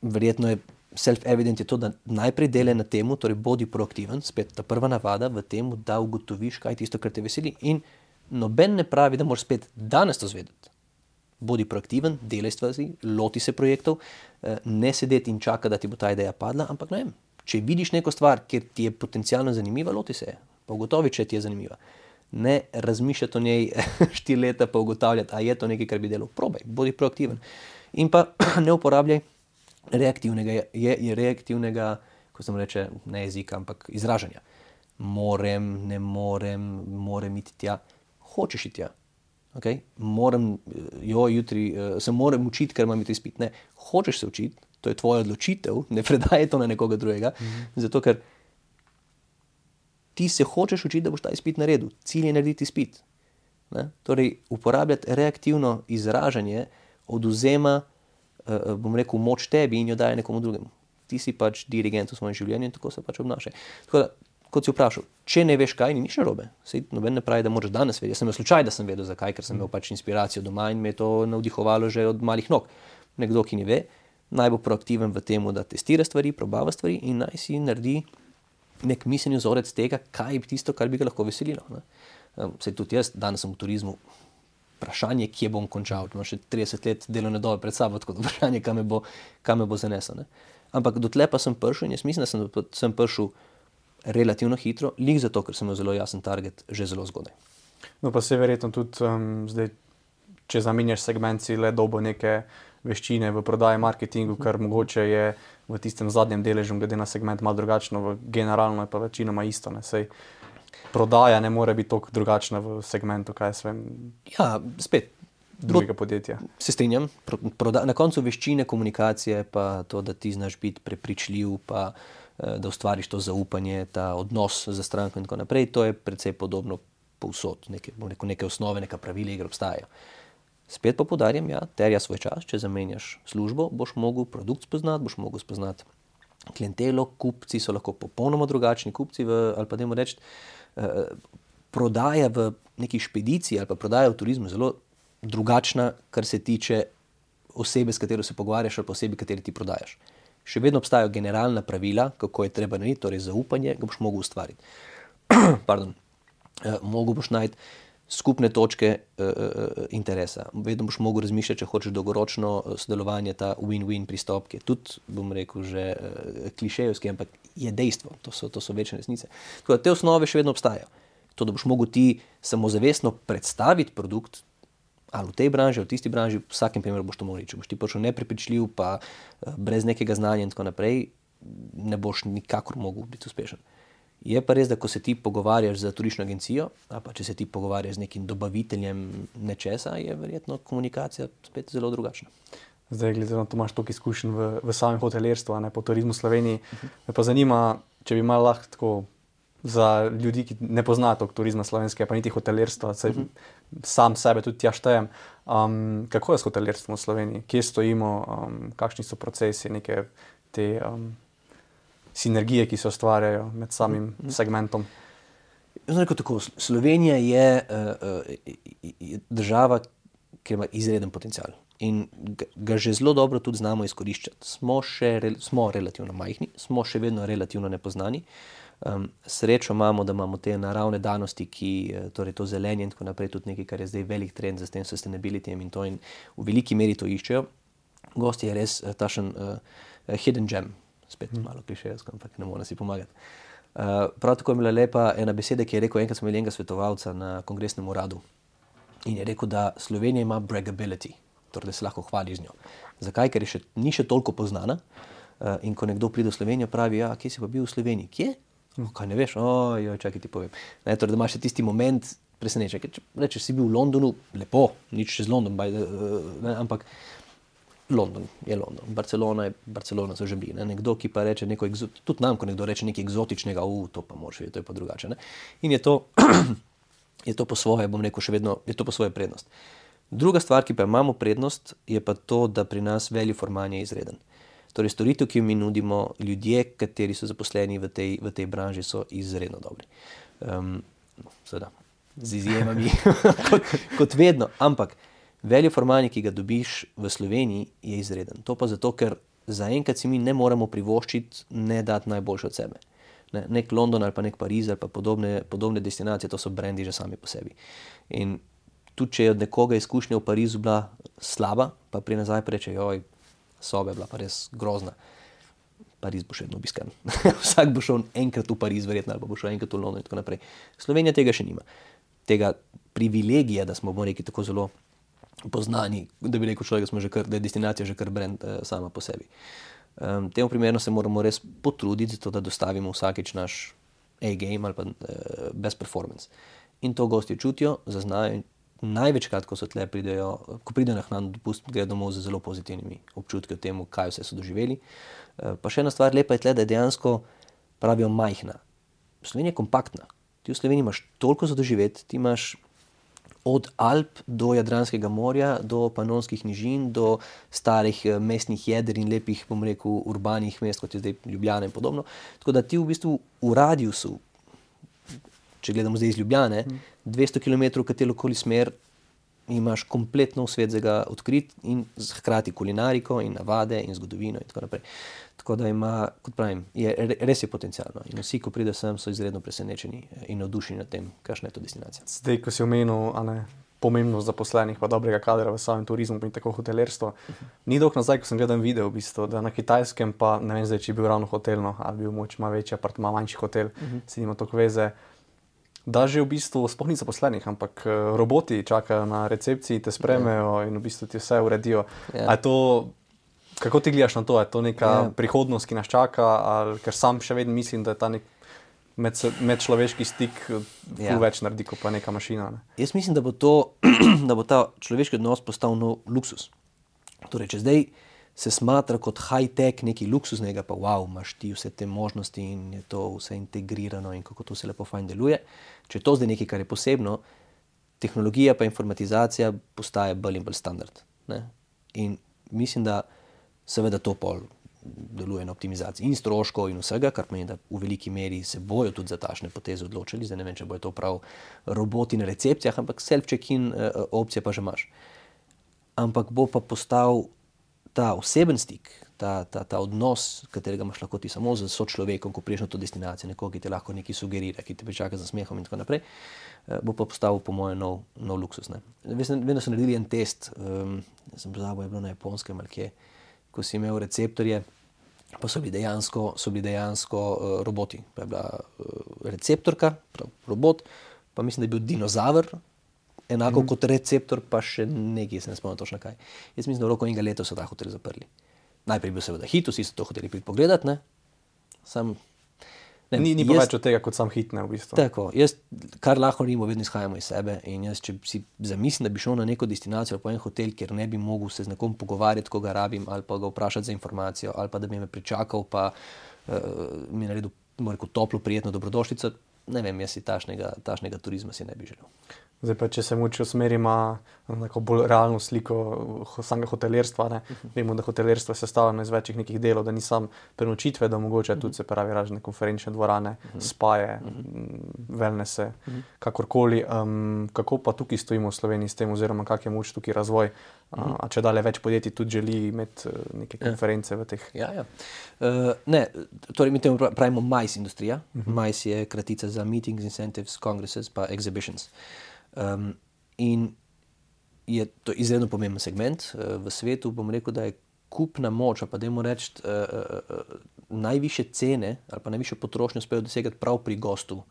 verjetno je self-evident je to, da najprej delaj na temu, torej bodi proaktiven, spet ta prva navada v temu, da ugotoviš, kaj je tisto, kar te veseli in noben ne pravi, da moraš spet danes to zvedeti. Bodi proaktiven, delaj stvari, loti se projektov, ne sedeti in čaka, da ti bo ta ideja padla, ampak ne vem, če vidiš neko stvar, kjer ti je potencialno zanimiva, loti se je, pa ugotovi, če ti je zanimiva. Ne razmišljati o njej 4 leta, pa ugotavljati, a je to nekaj, kar bi delal. Probaj, bodi proaktiven. In pa ne uporabljaj reaktivnega, ko sem reče, ne jezika, ampak izražanja. Ne morem iti tja, hočeš iti tja. Okay? Jutri se moram učiti, ker imam to izpit. Ne, hočeš se učiti, to je tvoja odločitev, ne predaj to na nekoga drugega, zato ker ti se hočeš učiti, da boš ta izpit naredil. Cilj je narediti izpit. Ne? Torej, uporabljati reaktivno izražanje odvzema, bom rekel, moč tebi in jo daje nekomu drugemu. Ti si pač dirigent v svojem življenju in tako se pač obnašaj. Tako da, kot si vprašal, če ne veš kaj, ni nič narobe. Sej noben ne pravi, da moraš danes vedeti. Jaz sem imel slučaj, da sem vedel zakaj, ker sem imel pač inspiracijo doma in me je to navdihovalo že od malih nog. Nekdo, ki ne ve, naj bo proaktiven v temu, da testira stvari, probava stvari in naj si naredi nek miselni vzorec tega, kaj je tisto, kar bi ga lahko veselilo. Sej tudi jaz, danes sem v turizmu, vprašanje, kje bom končal, imam še 30 let delovne dobe pred sabo, tako da vprašanje, kam me bo zanesel. Ne? Ampak dotle pa sem prišel in jaz mislim, da sem prišel relativno hitro, lik zato, ker sem imel zelo jasen target že zelo zgodaj. No pa se verjetno tudi zdaj, če zamenjaš segment, si le dobo neke veščine v prodaji, marketingu, kar mogoče je v tistem zadnjem deležu, glede na segment malo drugačno, generalno je pa večinoma isto. Ne? Sej, prodaja ne more biti tako drugačna v segmentu, kaj jaz vem, Ja, spet. drugega podjetja. Se strinjam, na koncu veščine komunikacije, pa to, da ti znaš biti prepričljiv, pa da ustvariš to zaupanje, ta odnos za stranko in tako naprej, to je precej podobno povsod, neke osnove, neka pravila igre obstajajo. Spet pa poudarjam, ja, terja svoj čas, če zamenjaš službo, boš mogel produkt spoznati, boš mogel spoznati klientelo, kupci so lahko popolnoma drugačni, kupci ali pa dajmo reči, prodaja v neki špediciji ali pa prodaja v turizmu zelo drugačna, kar se tiče osebe, s katero se pogovarjaš ali pa osebi, kateri ti prodajaš. Še vedno obstajajo generalna pravila, kako je treba narediti, torej zaupanje, ga boš mogel ustvariti. Pardon. Mogel boš najti skupne točke interesa. Vedno boš mogel razmišljati, če hočeš dolgoročno sodelovanje, ta win-win pristop, ki je tudi, bom rekel, že klišejevski, ampak je dejstvo, to so večne resnice. Tako da te osnove še vedno obstajajo. To, da boš mogel ti samozavestno predstaviti produkt, ali v tej branži, ali v tisti branži, v vsakem primeru boš to mogel reči. Če boš ti prišel neprepričljiv, pa brez nekega znanja in tako naprej, ne boš nikakor mogel biti uspešen. Je pa res, da ko se ti pogovarjaš z turistično agencijo, ali pa če se ti pogovarjaš z nekim dobaviteljem nečesa, je verjetno komunikacija spet zelo drugačna. Zdaj, glede na to, imaš toliko izkušenj v samem hotelirstvu, ne, po turizmu v Sloveniji, me pa zanima, če bi malo lahko tako za ljudi, ki ne poznajo toliko turizma slovenskega, pa niti hotelirstva, sam sebe tudi tja štejem. Kako je s hotelirstvom v Sloveniji? Kje stojimo? Kakšni so procesi, neke te sinergije, ki se ustvarjajo med samim segmentom? Tako, Slovenija je država, ki ima izreden potencial in ga že zelo dobro tudi znamo izkoriščati. Smo relativno majhni, smo še vedno relativno nepoznani. Srečo imamo, da imamo te naravne danosti, torej to zelenje in tako naprej, tudi nekaj, kar je zdaj velik trend za tem sustainabilityjem in to in v veliki meri to iščejo. Gost je res tašen hidden gem, spet malo klišejevsko, ampak ne morem si pomagati. Prav tako je bila lepa ena beseda, ki je rekel, enkrat smo imeli enega svetovalca na kongresnem uradu in je rekel, da Slovenija ima bragability, torej da se lahko hvali z njo. Zakaj? Ker ni še toliko poznana in ko nekdo pride v Slovenijo, pravi, ja, kje si pa bil v Sloveniji? Kje? Kaj ne veš? Čakaj ti povem. Torej, da imaš še tisti moment presenečenja. Če rečeš, si bil v Londonu, lepo, nič čez London, ampak London je London, Barcelona so že bili. Nekdo, ki pa reče neko tudi nam, ko nekdo reče nekaj eksotičnega, to pa moraš vedeti, to je pa drugače. Ne? In je to po svoje, bom rekel, še vedno, je to po svoje prednost. Druga stvar, ki pa imamo prednost, je pa to, da pri nas value for money je izreden. Torej, storitev, ki jo mi nudimo, ljudje, kateri so zaposleni v tej branži, so izredno dobri. Seveda, z izjemami, kot vedno, ampak value for money, ki ga dobiš v Sloveniji, je izreden. To pa zato, ker zaenkrat si mi ne moremo privoščiti, ne dati najboljše od sebe. Nek London ali pa nek Pariz ali pa podobne destinacije, to so brendi že sami po sebi. In tudi, če je od nekoga izkušnja v Parizu bila slaba, pa pri nazaj preče, soba je bila pa res grozna. Pariz bo še vedno obiskan. Vsak bo šel enkrat v Pariz, verjetno, ali pa bo šel enkrat v London in tako naprej. Slovenija tega še nima. Tega privilegija, da smo, bomo rekli, tako zelo poznani, da bi rekel človek, da je destinacija že kar brand sama po sebi. Temu primerno se moramo res potruditi, zato da dostavimo vsakič naš A-game ali pa best performance. In to gosti čutijo, zaznajo. Največkrat, ko pridejo na hrano dopust, gredo domov z zelo pozitivnimi občutki o tem, kaj vse so doživeli. Pa še ena stvar lepa je tle, da je dejansko, pravijo, majhna. Slovenija je kompaktna. Ti v Sloveniji imaš toliko za doživeti, ti imaš od Alp do Jadranskega morja, do Panonskih nižin, do starih mestnih jeder in lepih, bom rekel, urbanih mest, kot je zdaj Ljubljana in podobno. Tako da ti v bistvu v radiusu, če gledamo zdaj iz Ljubljane, 200 km katerokoli smer imaš kompletno svet za ga odkrit in hkrati kulinariko in navade in zgodovino in tako naprej. Tako da ima, kot pravim, res je potencialno. In vsi, ko pride sem, so izredno presenečeni in navdušeni nad tem, kakšna je to destinacija. Zdaj, ko si omenil pomembnost zaposlenih pa dobrega kadra v samem turizmu in tako hotelirstvo, ni dolgo nazaj, ko sem gledal video, v bistvu, da na Kitajskem pa, ne vem zdaj, če je bil ravno hotelno, ali bil moč malo večji apartma, manjši hotel, si nima toliko veze, da že v bistvu sploh ni zaposlenih, ampak roboti čakajo na recepciji, te spremejo in v bistvu ti vse uredijo. A je to, kako ti gledaš na to? Je to neka prihodnost, ki nas čaka? Ali, ker sam še vedno mislim, da je ta nek medčloveški stik več naredi, kot pa neka mašina. Ne? Jaz mislim, da bo ta človeški odnos postal nov luksus. Torej, če zdaj se smatra kot high-tech nekaj luksuznega, pa wow, imaš ti vse te možnosti in je to vse integrirano in kako to se lepo fajn deluje. Če je to zdaj nekaj, kar je posebno, tehnologija pa informatizacija postaje bolj in bolj standard. Ne? In mislim, da seveda to pol deluje na optimizaciji in stroškov in vsega, kar pomeni, da v veliki meri se bojo tudi za takšne poteze odločili. Zdaj ne vem, če bojo to prav roboti na recepcijah, ampak self-check-in opcije pa že imaš. Ampak bo pa postal ta oseben stik, ta odnos, katerega imaš lahko ti samo z sočlovekom, ko priješ na to destinacijo, nekoga, ki te lahko nekaj sugerira, ki te pričaka z smehom in tako naprej, bo pa postavil po moje nov luksus. Ne? Vedno so naredili en test, sem pozabil, je bilo na Japonskem ali kje, ko si imel receptorje, pa so bili dejansko roboti. Pa je bila receptorka, robot, pa mislim, da je bil dinozaver, enako kot receptor, pa še nekaj, se ne spomnim točno kaj. Jaz mislim, da v roku enega leta so ta hotel zaprli. Najprej bil seveda hit, vsi so to hoteli priti pogledati, ne? Ni pa več od tega, kot sam hit, ne, v bistvu. Tako, jaz, kar lahko naredimo, vedno izhajamo iz sebe in jaz, če si zamislim, da bi šel na neko destinacijo ali pa en hotel, kjer ne bi mogel se z nekom pogovarjati, ko ga rabim, ali pa ga vprašati za informacijo, ali pa da bi me pričakal, pa mi naredil, toplo, prijetno dobrodošlico, ne vem, jaz si tašnega turizma si ne bi želel. Zdaj pa, če se mogoče usmerimo na neko bolj realno sliko samega hotelirstva, ne? Vemo, da hotelirstvo je sestavljeno iz večjih nekih delov, da ni samo prenočitve, da mogoče tudi se pravi razne konferenčne dvorane, spaje, wellnesse, kakorkoli. Kako pa tukaj stojimo v Sloveniji s tem, oziroma kak je moč tukaj razvoj? A če dalje več podjetij tudi želi imeti neke konference v teh? Ja. Ne, torej mi temu pravimo MICE industrija. MICE je kratica za Meetings, Incentives, Congresses pa Exhibitions. In je to izredno pomemben segment v svetu. Bom rekel, da je kupna moč, pa dajmo reči, najvišje cene ali pa najvišjo potrošnjo uspejo dosegati prav pri gostu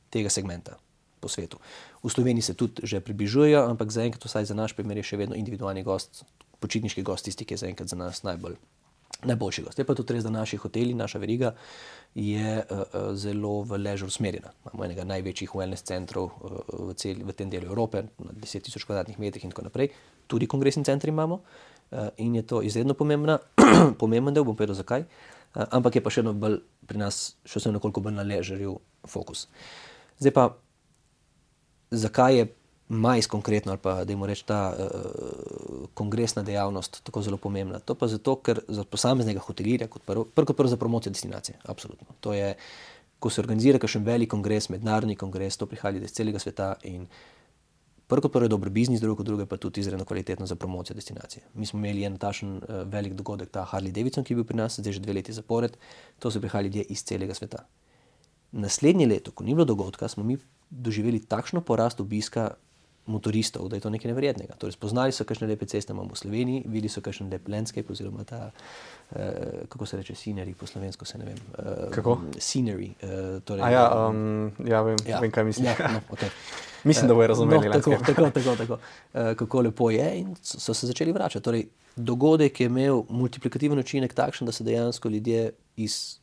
tega segmenta po svetu. V Sloveniji se tudi že približujejo, ampak zaenkrat vsaj za naš primer je še vedno individualni gost, počitniški gost, tisti, ki je zaenkrat za nas najboljši gost. Je pa tudi res, da naši hoteli, naša veriga je zelo v leisure usmerjena. Imamo enega največjih wellness centrov v tem delu Evrope, na 10,000 kvadratnih metrih in tako naprej. Tudi kongresni centri imamo in je to izredno pomemben del, bom povedal zakaj, ampak je pa še eno bolj pri nas, še sem nekoliko bolj na leisureju fokus. Zdaj pa, zakaj je MICE konkretno ali pa dajmo reči ta kongresna dejavnost tako zelo pomembna? To pa zato, ker za posameznega hotelirja kot prvo za promocijo destinacije, absolutno. To je, ko se organizira kakšen velik kongres, mednarodni kongres, to prihaja iz celega sveta in prvo je dober biznis, drugo pa tudi izredno kvalitetno za promocijo destinacije. Mi smo imeli en takšen velik dogodek, ta Harley Davidson, ki je bil pri nas, zdaj že 2 leti zapored, to so prihajali ljudje iz celega sveta. Naslednje leto, ko ni bilo dogodka, smo mi doživeli takšno porast obiska motoristov, da je to nekaj neverjetnega. Torej, spoznali so kakšne lepe ceste imamo v Sloveniji, videli so kakšen lep landscape oziroma ta, kako se reče, scenery po slovensko, se ne vem. Kako? Scenery. Torej, vem, kaj misliš. Ja, no, okay. Mislim, da bojo razumeli. Tako. Kako lepo je in so se začeli vračati. Torej, dogodek je imel multiplikativen učinek takšen, da so dejansko ljudje iz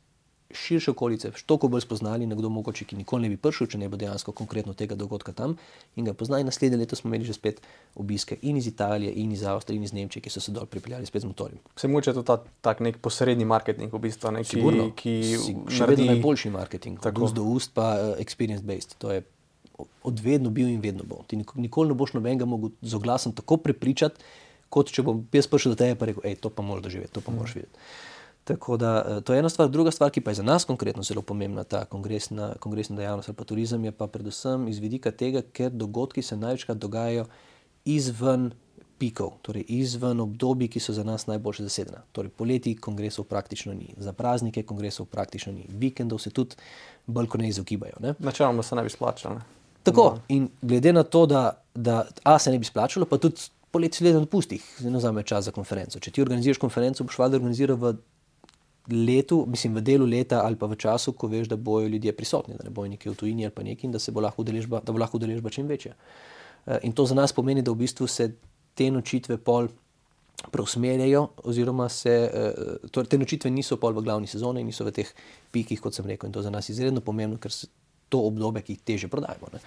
širše okolice toliko bolj spoznali, nekdo mogoče, ki nikoli ne bi prišel, če ne bo dejansko konkretno tega dogodka tam in ga poznali. Naslednje leto smo imeli že spet obiske in iz Italije, in iz Avstrije, in iz Nemčije, ki so se dol pripeljali spet z motorjem. Se mogoče to tak nek posredni marketing v bistvu, ne? Sigurno, še vedno najboljši marketing, tako. Do ust pa experience based, to je odvedno bil in vedno bo. Ti nikoli ne boš nobenega mogel z oglasom tako prepričati, kot če bom jaz prišel do tebe pa rekel, to pa moraš doživeti, to pa moraš videti. Tako da, to je ena stvar. Druga stvar, ki pa je za nas konkretno zelo pomembna, ta kongresna dejavnost ali pa turizem, je pa predvsem iz vidika tega, ker dogodki se največkrat dogajajo izven pikov, torej izven obdobij, ki so za nas najboljše zasedena. Torej poleti kongresov praktično ni, za praznike kongresov praktično ni, vikendov se tudi bolj kot ne izogibajo. Načeloma se ne bi splačalo. Tako, in glede na to, da se ne bi splačalo, pa tudi poleti se gleda na pustih, ne vzame čas za konferenco. Če ti organiziraš konferenco, boš valjda organiziral v delu leta ali pa v času, ko veš, da bojo ljudje prisotni, da ne bojo nekje v tujini ali pa nekaj in da bo lahko udeležba čim večja. In to za nas pomeni, da v bistvu se te nočitve pol preusmerjajo, oziroma torej te nočitve niso pol v glavni sezoni, niso v teh pikih, kot sem rekel, in to za nas izredno pomembno, ker se to obdobje, ki jih teže prodajemo. Ne.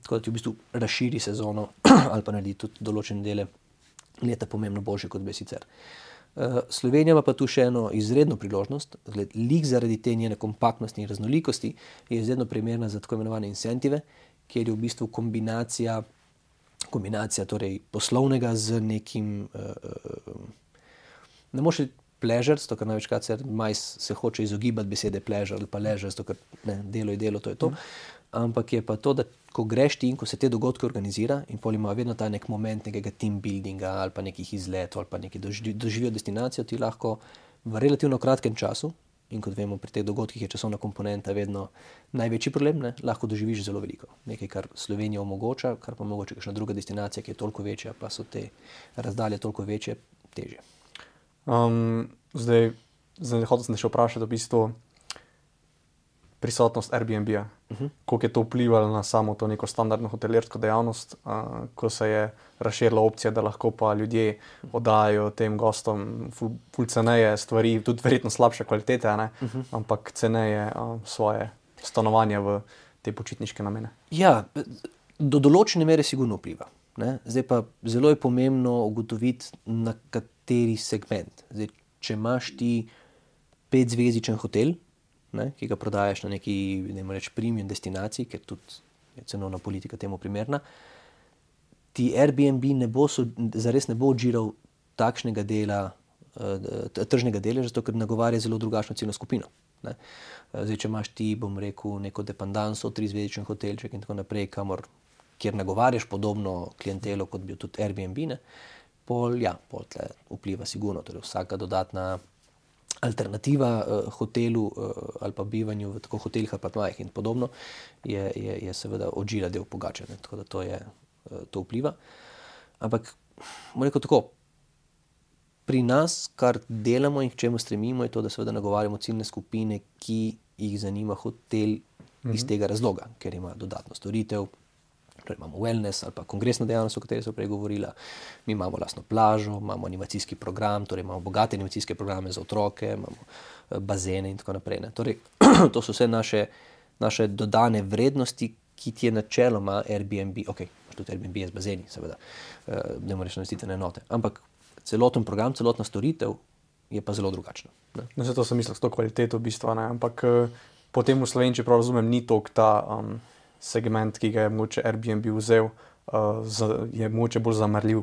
Tako da ti v bistvu razširi sezono ali pa naredi tudi določene dele leta pomembno boljše, kot bi sicer. Slovenija ima pa tu še eno izredno priložnost, lik zaradi te njene kompaktnosti in raznolikosti je izredno primerna za tako imenovane incentive, kjer je v bistvu kombinacija torej poslovnega z nekim, ne moreš reči pleasure, zato ker največkrat se hoče izogibati besede pleasure ali pa leisure, zato ker delo je delo, to je to. Ampak je pa to, da ko greš ti in ko se te dogodke organizira in pol ima vedno ta nek moment nekega team buildinga ali pa nekih izletov ali pa neki doživijo destinacijo, ti lahko v relativno kratkem času, in kot vemo, pri teh dogodkih je časovna komponenta vedno največji problem, ne, lahko doživiš zelo veliko. Nekaj, kar Slovenija omogoča, kar pa mogoče kakšna druga destinacija, ki je toliko večja, pa so te razdalje toliko večje, težje. Zdaj hotel sem te še vprašati v bistvu prisotnost Airbnb-ja. Koliko je to vplivalo na samo to neko standardno hotelirsko dejavnost, ko se je razširila opcija, da lahko pa ljudje oddajajo tem gostom ful ceneje stvari, tudi verjetno slabše kvalitete, ne? Ampak ceneje svoje stanovanje v te počitniške namene. Ja, do določene mere sigurno vpliva. Ne? Zdaj pa zelo je pomembno ugotoviti, na kateri segment. Zdaj, če imaš ti 5-zvezdičen hotel, ne, ki ga prodajaš na neki, dajmo reči, premium destinaciji, ker tudi je cenovna politika temu primerna, ti Airbnb zares ne bo odžiral takšnega dela, tržnega deleža, zato ker nagovarja zelo drugačno ciljno skupino. Ne. Zdaj, če imaš ti, bom rekel, neko dependanso, 3-zvezdičen hotelček in tako naprej, kjer nagovarjaš podobno klientelo, kot bi tudi Airbnb, ne, pol tle vpliva sigurno, torej vsaka dodatna alternativa hotelu ali pa bivanju v tako hotelih ali pa in podobno je seveda odžira del pogačanja, tako da to vpliva. Ampak, bom rekel tako, pri nas, kar delamo in k čemu stremimo, je to, da seveda nagovarjamo ciljne skupine, ki jih zanima hotel iz tega razloga, ker ima dodatno storitev, torej imamo wellness ali pa kongresno dejavnost, o kateri so prej govorila, mi imamo lastno plažo, imamo animacijski program, torej imamo bogate animacijske programe za otroke, imamo bazene in tako naprej. Ne. Torej, to so vse naše dodane vrednosti, ki ti je načeloma Airbnb, tudi Airbnb je z bazeni, seveda, ne moreš namestitvene enote, ampak celoten program, celotna storitev je pa zelo drugačna. Ne. No, zato sem mislil s to kvaliteto v bistvu, ne, ampak potem v Sloveniji, če prav razumem, ni toliko ta segment, ki ga je mogoče Airbnb vzel, je mogoče bolj zamrljiv,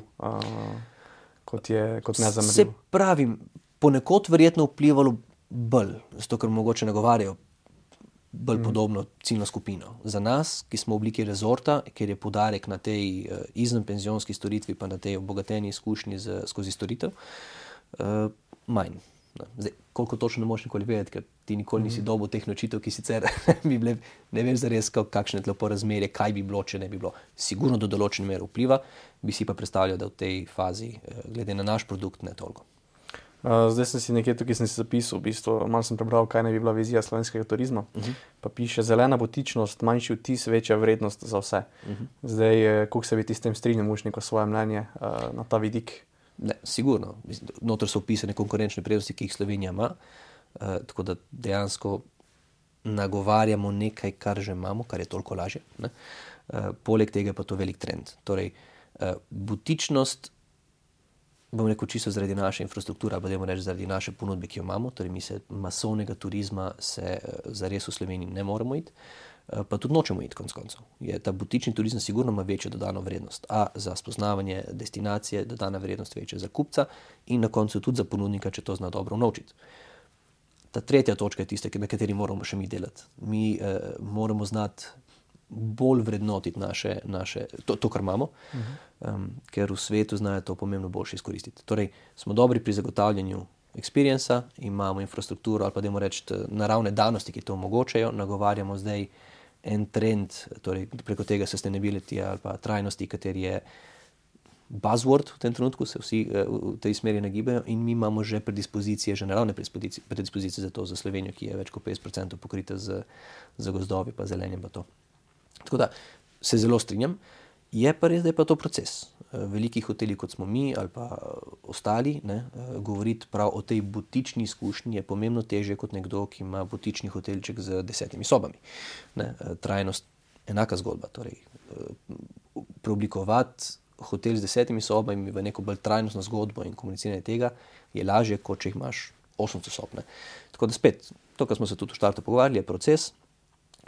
kot nezamrljiv. Se pravim, ponekod verjetno vplivalo bolj, zato ker mogoče nagovarjajo bolj podobno ciljno skupino. Za nas, ki smo v obliki rezorta, kjer je poudarek na tej izvenpenzionski storitvi, pa na tej obogateni izkušnji skozi storitev, manj. Zdaj, koliko točno ne moreš nikoli vedeti, ker ti nikoli nisi dobil teh nočitev, ki sicer bi bile, ne veš zares, kakšne tlepo razmerje, kaj bi bilo, če ne bi bilo. Sigurno do določene mere vpliva, bi si pa predstavljal, da v tej fazi, glede na naš produkt, ne toliko. Zdaj sem si nekje tukaj zapisal, v bistvu, malo sem prebral, kaj naj bi bila vizija slovenskega turizma. Pa piše, zelena butičnost, manjši vtis, večja vrednost za vse. Zdaj, koliko se bi ti s tem strinjal, imaš neko svoje mnenje na ta vidik? Ne, sigurno. Notor so opisane konkurenčne prednosti, ki jih Slovenija ima, tako da dejansko nagovarjamo nekaj, kar že imamo, kar je toliko lažje. Ne. Poleg tega pa to velik trend. Torej, butičnost, bom rekel čisto zaradi naše infrastrukture, pa dajmo reči zaradi naše ponudbe, ki jo imamo, torej mi se masovnega turizma zares v Sloveniji ne moremo iti, pa tudi nočemo iti konec koncev. Ta butični turizem sigurno ima večjo dodano vrednost, za spoznavanje destinacije dodana vrednost večja za kupca in na koncu tudi za ponudnika, če to zna dobro unovčiti. Ta tretja točka je tista, na kateri moramo še mi delati. Mi moramo znati bolj vrednotiti to, kar imamo, ker v svetu znajo to pomembno boljše izkoristiti. Torej, smo dobri pri zagotavljanju experienca, imamo infrastrukturo ali pa dajmo reči naravne danosti, ki to omogočajo, nagovarjamo zdaj en trend, torej preko tega sustainability ali pa trajnosti, kateri je buzzword v tem trenutku, se vsi v tej smeri nagibajo in mi imamo že predispozicije, že naravne predispozicije za to, za Slovenijo, ki je več kot 50% pokrita z gozdovi pa zelenjem pa to. Tako da se zelo strinjam Je pa res, da je pa to proces. Veliki hoteli, kot smo mi ali pa ostali, govoriti prav o tej butični izkušnji je pomembno težje kot nekdo, ki ima butični hotelček z 10 sobami. Trajnost, enaka zgodba. Torej, preoblikovati hotel z 10 sobami v neko bolj trajnostno zgodbo in komuniciranje tega je lažje, kot če jih imaš 800 sob. Tako da spet, to, kar smo se tudi v štartu pogovarjali, je proces.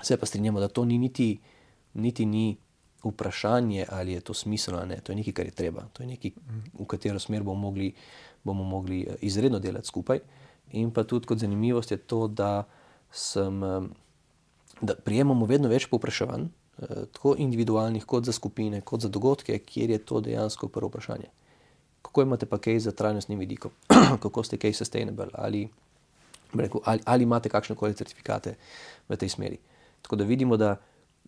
Se pa strinjamo, da to ni niti ni vprašanje, ali je to smiselno ali ne. To je nekaj, kar je treba. To je nekaj, v katero smer bomo mogli izredno delati skupaj. In pa tudi kot zanimivost je to, da prijemamo vedno več povpraševanj, tako individualnih, kot za skupine, kot za dogodke, kjer je to dejansko prvo vprašanje. Kako imate pa kaj za trajnostnim vidikom? Kako ste kaj sustainable? Ali imate kakšnekoli certifikate v tej smeri? Tako da vidimo, da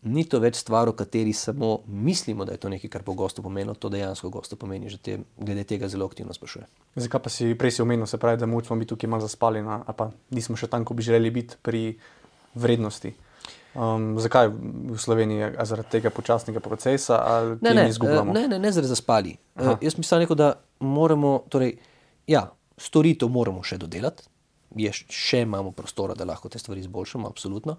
ni to več stvar, o kateri samo mislimo, da je to nekaj, kar bo gostu pomenilo, to dejansko gostu pomeni, že glede tega zelo aktivno sprašuje. Zakaj pa prej si omenil, se pravi, da smo mi tukaj malo zaspali, ali pa nismo še tam, ko bi želeli biti pri vrednosti. Zakaj v Sloveniji? Zaradi tega počasnega procesa ali kje mi izgubljamo? Ne zaradi zaspali. Jaz mislim rekel, da moramo, storitev moramo še dodelati, še imamo prostora, da lahko te stvari izboljšamo, absolutno.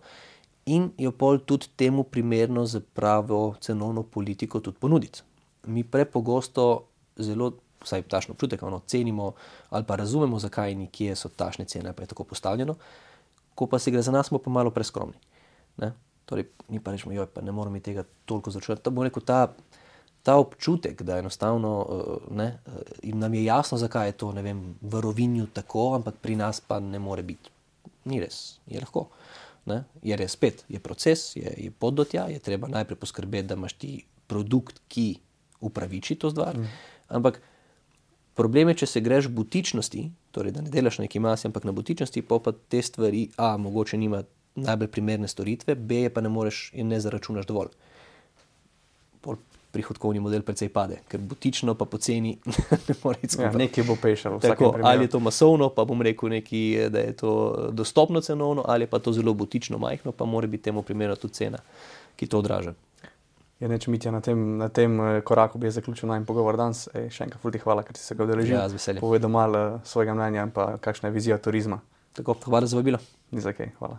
In jo pol tudi temu primerno za pravo cenovno politiko tudi ponuditi. Mi prepogosto zelo, vsaj tašno občutek, cenimo ali pa razumemo, zakaj in kje so tašne cene, pa je tako postavljeno, ko pa se gre za nas, smo pa malo preskromni. Torej, mi pa rečemo, pa ne moramo mi tega toliko začrati. To bo rekel ta občutek, da enostavno nam je jasno, zakaj je to, v Rovinju tako, ampak pri nas pa ne more biti. Ni res, je lahko. Je res spet, je proces, je pot do tja, je treba najprej poskrbeti, da imaš ti produkt, ki upraviči to stvar. Ampak problem je, če se greš v butičnosti, torej da ne delaš na neki masi, ampak na butičnosti, pa te stvari, mogoče nima najbolj primerne storitve, B, pa ne moreš in ne zaračunaš dovolj. Prihodkovni model precej pade, ker butično pa poceni ne more iti skupaj. Nekaj bo pešalo. Ali je to masovno, pa bom rekel nekaj, da je to dostopno cenovno, ali pa to zelo butično majhno, pa mora biti temu primerno tudi cena, ki to odraža. Mitja, na tem koraku bi zaključil najmanj pogovor danes. Še enkrat ful ti hvala, ker si se ga udeležil. Z veseljem. Povedal malo svojega mnenja in pa kakšna je vizija turizma. Tako, hvala za vabilo. Ni za kaj, hvala.